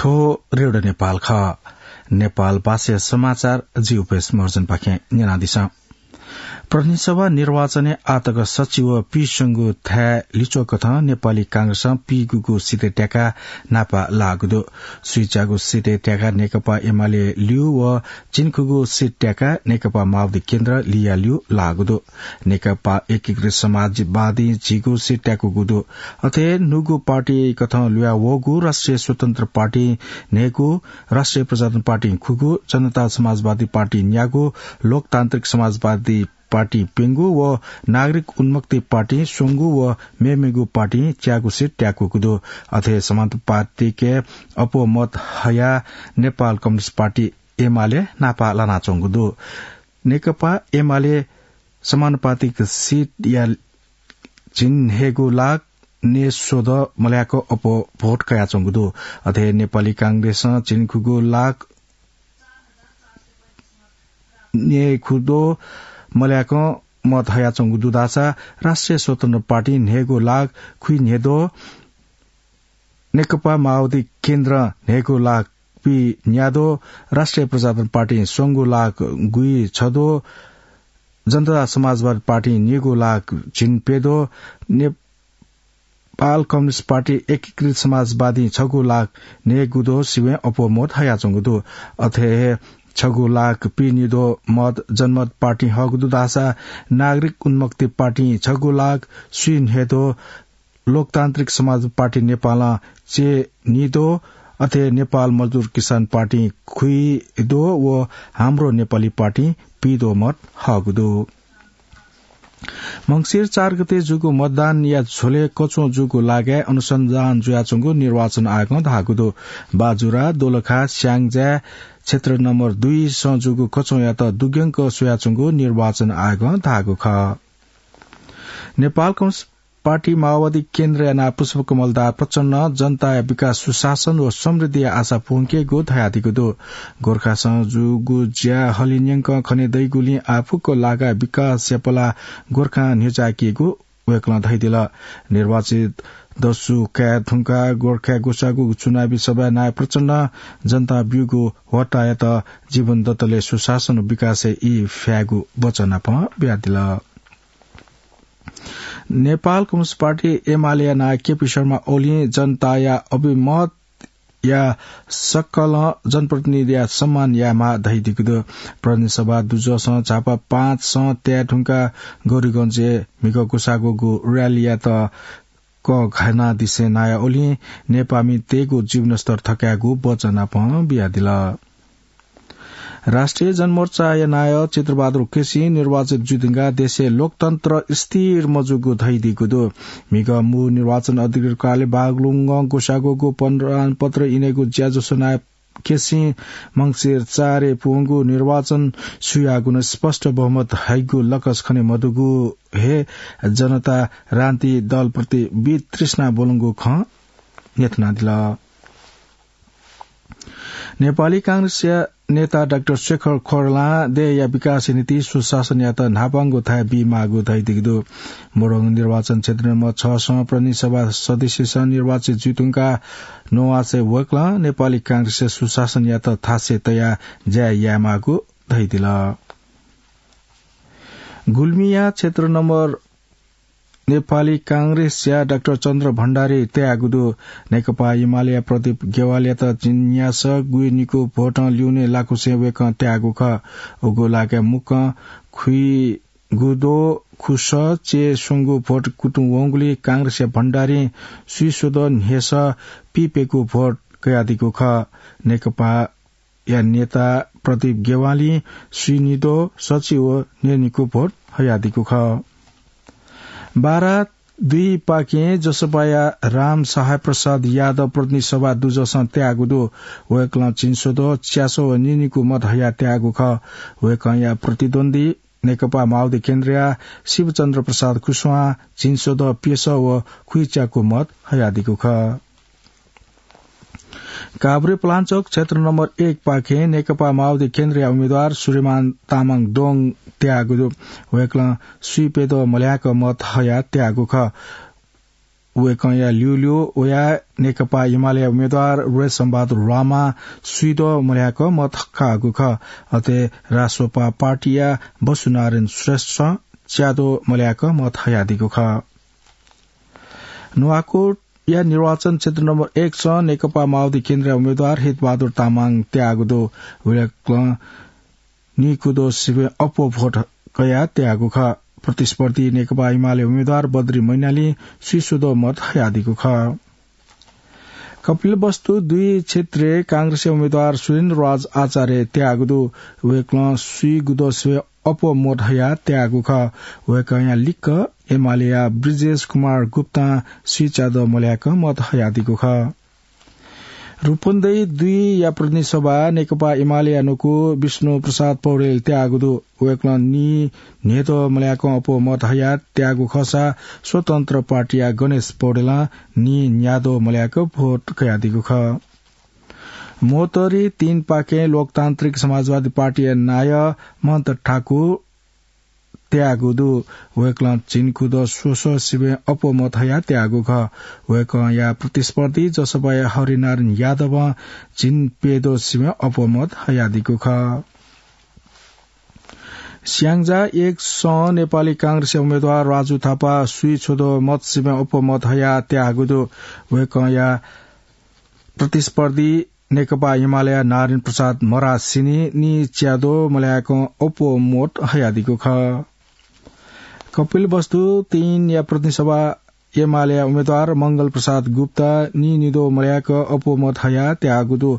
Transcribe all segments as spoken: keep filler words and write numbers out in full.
थ्व रेडियो नेपाल खः। नेपाल भाषाया समाचार जि उपेश महर्जनपाखें न्यनादिसँ। प्रतिनिधि सभा निर्वाचनय् आःतक सच्छि व पीस्वंगू थाय् लिच्वःकथं नेपाली कांग्रेसं पीगूगू सिटय् त्याकाः न्हापा लाःगु दु। स्वीच्यागू सिटय् त्याकाः नेकपा एमाले ल्यू व झिंखुगू सिट त्याकाः नेकपा माओवादी केन्द्र लिया ल्यू लाःगु दु। नेकपा एकीकृत समाजवादीं झिगू सिट त्याकूगु दु। अथे न्हूगु पार्टी कथं ल्हुया वःगु राष्ट्रिय स्वतन्त्र पार्टी न्हय्गू, राष्ट्रिय प्रजातन्त्र पार्टी खुगू, जनता समाजवादी पार्टी न्यागू, लोकतान्त्रिक समाजवादी पार्टी प्यंगू व नागरिक उन्मुक्ति पार्टी स्वंगू व मेमेगु पार्टी च्यागू सिट त्याकूगु दु। अथे समानुपातिक अप्वः मत हयाः नेपाल कम्युनिस्ट पार्टी एमाले न्हापा लानाच्वंगु दु। नेकपा एमाले समानुपातिक सिटया झिंन्हय्गू लाख न्हय्स्वदँ मल्याक अप्वः भोट कयाच्वंगु दु। अथे नेपाली कांग्रेसं झिंखुगू लाख न्हय्खुदँ मल्याक मत हयाच्वंगु दु धाःसा राष्ट्रिय स्वतन्त्र पार्टी न्हय्गू लाख खुइन्हय्दँ, नेकपा माओवादी केन्द्र न्हय्गू लाख पीन्यादँ, राष्ट्रिय प्रजातन्त्र पार्टी स्वंगू लाख गुइछदँ, जनता समाजवादी पार्टी निगू लाख झिंप्यदँ, नेपाल कम्युनिस्ट पार्टी एकीकृत समाजवादीं छगू लाख न्हय्गुदँ सिबें अप्वः मत हयाच्वंगु दु। अथे हे छगू लाख पीनिदँ मत जनमत पार्टीं हःगु दु धाःसा नागरिक उन्मुक्ति पार्टीं छगू लाख स्वीन्हय्दँ, लोकतान्त्रिक समाज पार्टी नेपालं च्यय्निदँ, अथे नेपाल मजदुर किसान पार्टीं खुइदँ व हाम्रो नेपाली पार्टीं पीदँ मत हःगु दु। मंसिर चार गते जूगु मतदानया झ्वलय् कच्वं जूगु लागाय् अनुसन्धान जुयाच्वंगु निर्वाचन आयोगं धाःगु दु। बाजुरा, दोलखा, स्याङ्जा क्षेत्र नम्बर दुई सं जूगु कच्वंयात दुग्यंक स्वयाच्वंगु निर्वाचन आयोगं धाःगु खः। नेपाल कम्युनिस्ट पार्टी माओवादी केन्द्रया नायः पुष्पकमल दाहाल प्रचण्डं जनताया विकास, सुशासन व समृद्धिया आशा पूवंकेगु धयादीगु दु। गोर्खासं जूगु ज्या हलिंन्यंकं खने दइगुलिं आः फुक्क लागाय् विकासया पलाः गोर्खां न्ह्यचाय्केगु वय्कलं धयादिल। निर्वाचित दसु काये धुंकाः गोर्खाय् ग्वसाःगु चुनावी सभाय् नायः प्रचण्डं जनतां ब्यूगु ह्वःतायात जीवनदत्तलय् सुशासन व विकासय् ई फ्यायेगु वचन नापं बियादिल। नेपाल कम्युनिस्ट पार्टी एमालेया नायः केपी शर्मा ओलीं जनताया अभिमतया सकलं जनप्रतिनिधिया सम्मान यायेमाः धयादीगु दु। प्रतिनिधि सभा दुजःसं झापा पाँचसं त्याये धुंकाः गौरीगंजय् म्हिगः ग्वसाःगु र्‍यालीयात कःघानादिसें नायः ओलीं नेपाःमितय्गु जीवनस्तर थकायेगु वचन नापं बियादिल। राष्ट्रिय जनमोर्चाया नायः चित्रबहादुर केसीं निर्वाचित जुइधुंकाः देशय् लोकतन्त्र स्थिर मजूगु धयादीगु दु। म्हिगः मू निर्वाचन अधिकृत कार्यालय बागलुङय् ग्वसाःगु प्रमाणपत्र इनेगु ज्याझ्वलय् नायः केसीं मंसिर चारय् पूवंगु निर्वाचन सुयागुनं स्पष्ट बहुमत हइगु लकस खने मदुगु हे जनता क्रान्ति दलप्रति वितृष्णा ब्वलंगु खँ न्ह्यथनादिल। नेपाली कांग्रेसया नेता डाक्टर शेखर कोइरालां देय्‌या विकासया निंतिं सुशासनयात न्हापांगु थाय् बीमाःगु धयादीगु दु। मोरङ निर्वाचन क्षेत्र नम्बर छसं प्रतिनिधि सभा सदस्यसं निर्वाचित जुइधुंकाः नवासय् वय्‌कलं नेपाली कांग्रेसया सुशासनयात थासय् तयाः ज्या यायेमाःगु धयादिल। गुल्मीया क्षेत्र नम्बर नेपाली कांग्रेसया डाक्टर चन्द्र भण्डारी त्याःगु दु। नेकपा एमालेया प्रदीप गेवालयात झिंन्यासः गुइनिकू भोटं ल्यूने लाकुसें वय्‌कलं त्याःगु खः। उगु लागाय् मुक्कं खुइगुदँ खुसः च्यय् स्वंगू भोट कुतुं वंगुलिं कांग्रेसया भण्डारीं स्वीस्वदँ न्हय्‌सः पीप्यकू भोट कयादीगु खः। नेकपा या नेता प्रदीप गेवालीं स्वीनिदँ सच्छि व न्हय्‌निकू भोट हयादीगु खः। बारा दुई पाखें जसपाया राम सहाय प्रसाद यादव प्रतिनिधि सभा दुजःसं त्याःगु दु। वय्‌कलं झिंस्वदँ च्यासः व न्हय्‌निकू मत हयाः त्याःगु खः। वय्‌कःया प्रतिद्वन्द्वी नेकपा माओवादी केन्द्रया शिवचन्द्र प्रसाद कुशवाहां झिंस्वदँ प्यसः व खुइच्याकू मत हयादीगु खः। काभ्रेपलाञ्चोक क्षेत्र नम्बर एक पाखें नेकपा माओवादी केन्द्रया उम्मेद्वार सूर्यमान तामाङ दोङ त्याःगु दु। वय्‌कलं स्वीप्यदँ मल्याक मत हयाः त्याःगु खः। वय्‌कःया ल्यूल्यू वयाः नेकपा एमालेया उम्मेद्वार रेशम बहादुर रामा स्वीद्वः मल्याक मत काःगु खः। अथे रासोपा पार्टीया बसुनारायण श्रेष्ठं च्याद्वः मल्याक मत हयादीगु खः। नुवाकोटया निर्वाचन क्षेत्र नम्बर एक स नेकपा माओवादी केन्द्रया उम्मेद्वार हितबहादुर तामाङ त्याःगु दु। वय्‌कलं नीकुद्वः सिबें अप्वः भोट कयाः त्याःगु खः। प्रतिस्पर्धी नेकपा एमाले उम्मेद्वार बद्री मैनालीं स्वीस्वद्वः मत हयादीगु खः। कपिलवस्तु दुई क्षेत्रय् कांग्रेसया उम्मेद्वार सुरेन्द्र राज आचार्य त्याःगु दु। वय्‌कलं स्वीगुद्वः सिबें अप्वः मत हयाः त्याःगु खः। वय्‌कःया लिक्क एमालेया ब्रिजेश कुमार गुप्तां स्वीच्याद्वः मल्याक मत हयादीगु खः। रूपन्देही दुईया प्रतिनिधि सभा नेकपा एमालेया नुगः विष्णु प्रसाद पौडेल त्याःगु दु। वय्‌कलं नीन्हय्‌द्वः मल्याकं अप्वः मत हयाः त्याःगु खःसा स्वतन्त्र पार्टीया गणेश पौडेलं नीन्याद्वः मल्याक भोट कयादीगु खः। महोत्तरी तीन पाखें लोकतान्त्रिक समाजवादी पार्टीया नायः महन्त ठाकुर त्याःगु दु। वय्‌कलं झिंकुद्वः स्वस्वः सिबें अप्वः मत हयाः त्याःगु खः। वय्‌कःया प्रतिस्पर्धी जसपाया हरिनारायण यादवं झिंप्यद्वः सिबें अप्वः मत हयादीगु खः। स्याङ्जा एक सं नेपाली कांग्रेसया उम्मेद्वार राजु थापा स्वीछ्वद्वः मत सिबें अप्वः मत हयाः त्याःगु दु। वय्‌कःया प्रतिस्पर्धी नेकपा एमालेया नारायण प्रसाद मरासिनी नीच्याद्वः मल्याकं अप्वः मत हयादीगु खः। कपिलवस्तु तीनया प्रतिनिधि सभा एमालेया उम्मेद्वार मंगल प्रसाद गुप्ता नीनिद्वः मल्याक अप्वः मत हयाः त्याःगु दु।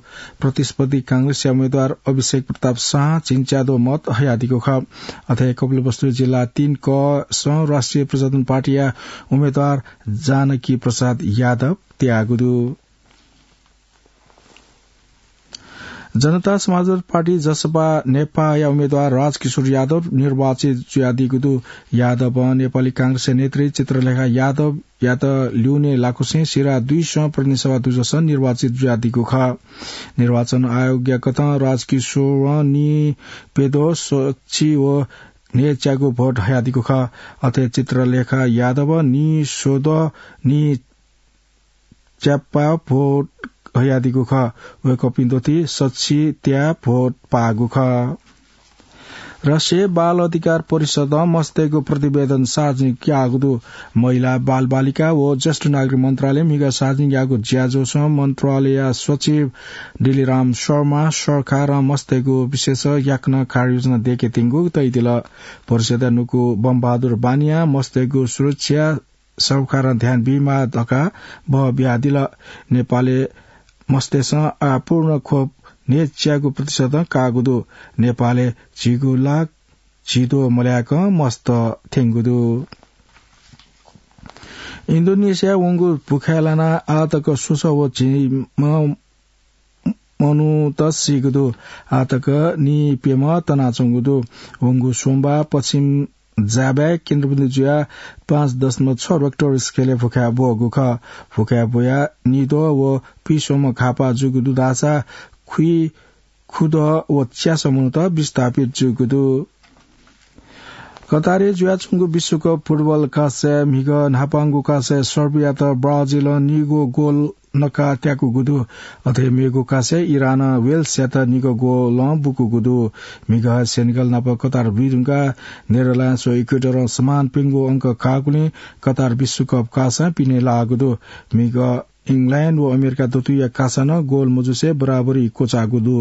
प्रतिस्पर्धी कांग्रेसया उम्मेद्वार अभिषेक प्रताप शाहं झिंच्याद्वः मत हयादीगु खः। अथे कपिलवस्तु जिल्ला तीन क सं राष्ट्रिय प्रजातन्त्र पार्टीया उम्मेद्वार जानकी प्रसाद यादव त्याःगु दु। जनता समाजवादी पार्टी जसपा नेपाःया उम्मेद्वार राजकिशोर यादव निर्वाचित जुयादीगु दु। यादवं नेपाली कांग्रेसया नेत्री चित्रलेखा यादवयात ल्यूने लाकुसें सिरा दुई सं प्रतिनिधि सभा दुजसं निर्वाचित जुयादीगु खः। निर्वाचन आयोगया कथं राजकिशोरं नीप्यद्वः सछि व न्हय्‌च्यागू भोट हयादीगु खः। अथे चित्रलेखा यादवं नीस्वद्वः नी च्यापा भोट हयादीगु खः। वय्‌कःपिं द्वःति सछि त्या भोट पाःगु खः। राष्ट्रिय बाल अधिकार परिषदं मस्तय्‌गु प्रतिवेदन सार्वजनिक याःगु दु। महिला, बालबालिका व ज्येष्ठ नागरिक मन्त्रालयं म्हिगः सार्वजनिक याःगु ज्याझ्वलय् मन्त्रालयया सचिव डिलिराम शर्मां सरकारं मस्तय्‌गु विषयय् याकनं कार्ययोजना दयेकेत्यंगु तयादिल। परिषदया नुगः बमबहादुर बानियां मस्तय्‌गु सुरक्षा सरकारं ध्यान बीमाः धकाः बहः बियादिल। नेपालय् मस्तय्‌सं आः पूर्ण खोप न्हय्‌च्यागू प्रतिशतं काःगु दु। नेपालय् झिगू लाख झिद्वः मल्याकं मस्त थ्यंगु दु। इन्डोनेसियाय् वंगु भुखाय् लानाः आः तक स्वसः व झिम्ह मनूत सीगु दु। आः तक नीप्यम्ह तनाच्वंगु दु। वंगु सोमबाः पश्चिम जाभाय् केन्द्रबिन्दु जुयाः पाँच दशमलव छ रेक्टर स्केलय् भुखाय् ब्वःगु खः। भुखाय् ब्वयाः निद्वः व पिस्वम्ह घाःपाः जूगु दु धाःसा खुइखुद्वः व च्यासः मनूत विस्थापित जूगु दु। कतारय् जुयाच्वंगु विश्वकप फुटबल कासाय् म्हिगः न्हापांगु कासाय् सर्बियात ब्राजिलं निगू गोल नकाः त्याकूगु दु। अथे मेगु कासाय् इरानं वेल्सयात निगः गोलं बुकूगु दु। म्हिगः सेनेगल नाप कतार बुइधुंकाः नेदरल्याण्ड्स व इक्वेडरं समान प्यंगू अंक काःगुलिं कतार विश्वकप कासां पिने लाःगु दु। म्हिगः इङ्ल्याण्ड व अमेरिका दथुइया कासां नं गोल मजुसे बराबरी क्वचाःगु दु।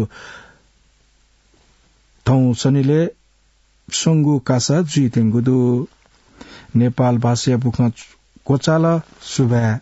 थौं सनिलय् स्वंगू कासा जुइत्यंगु दु। नेपाल भाषाया बुखँ क्वचाल। सुभाय्।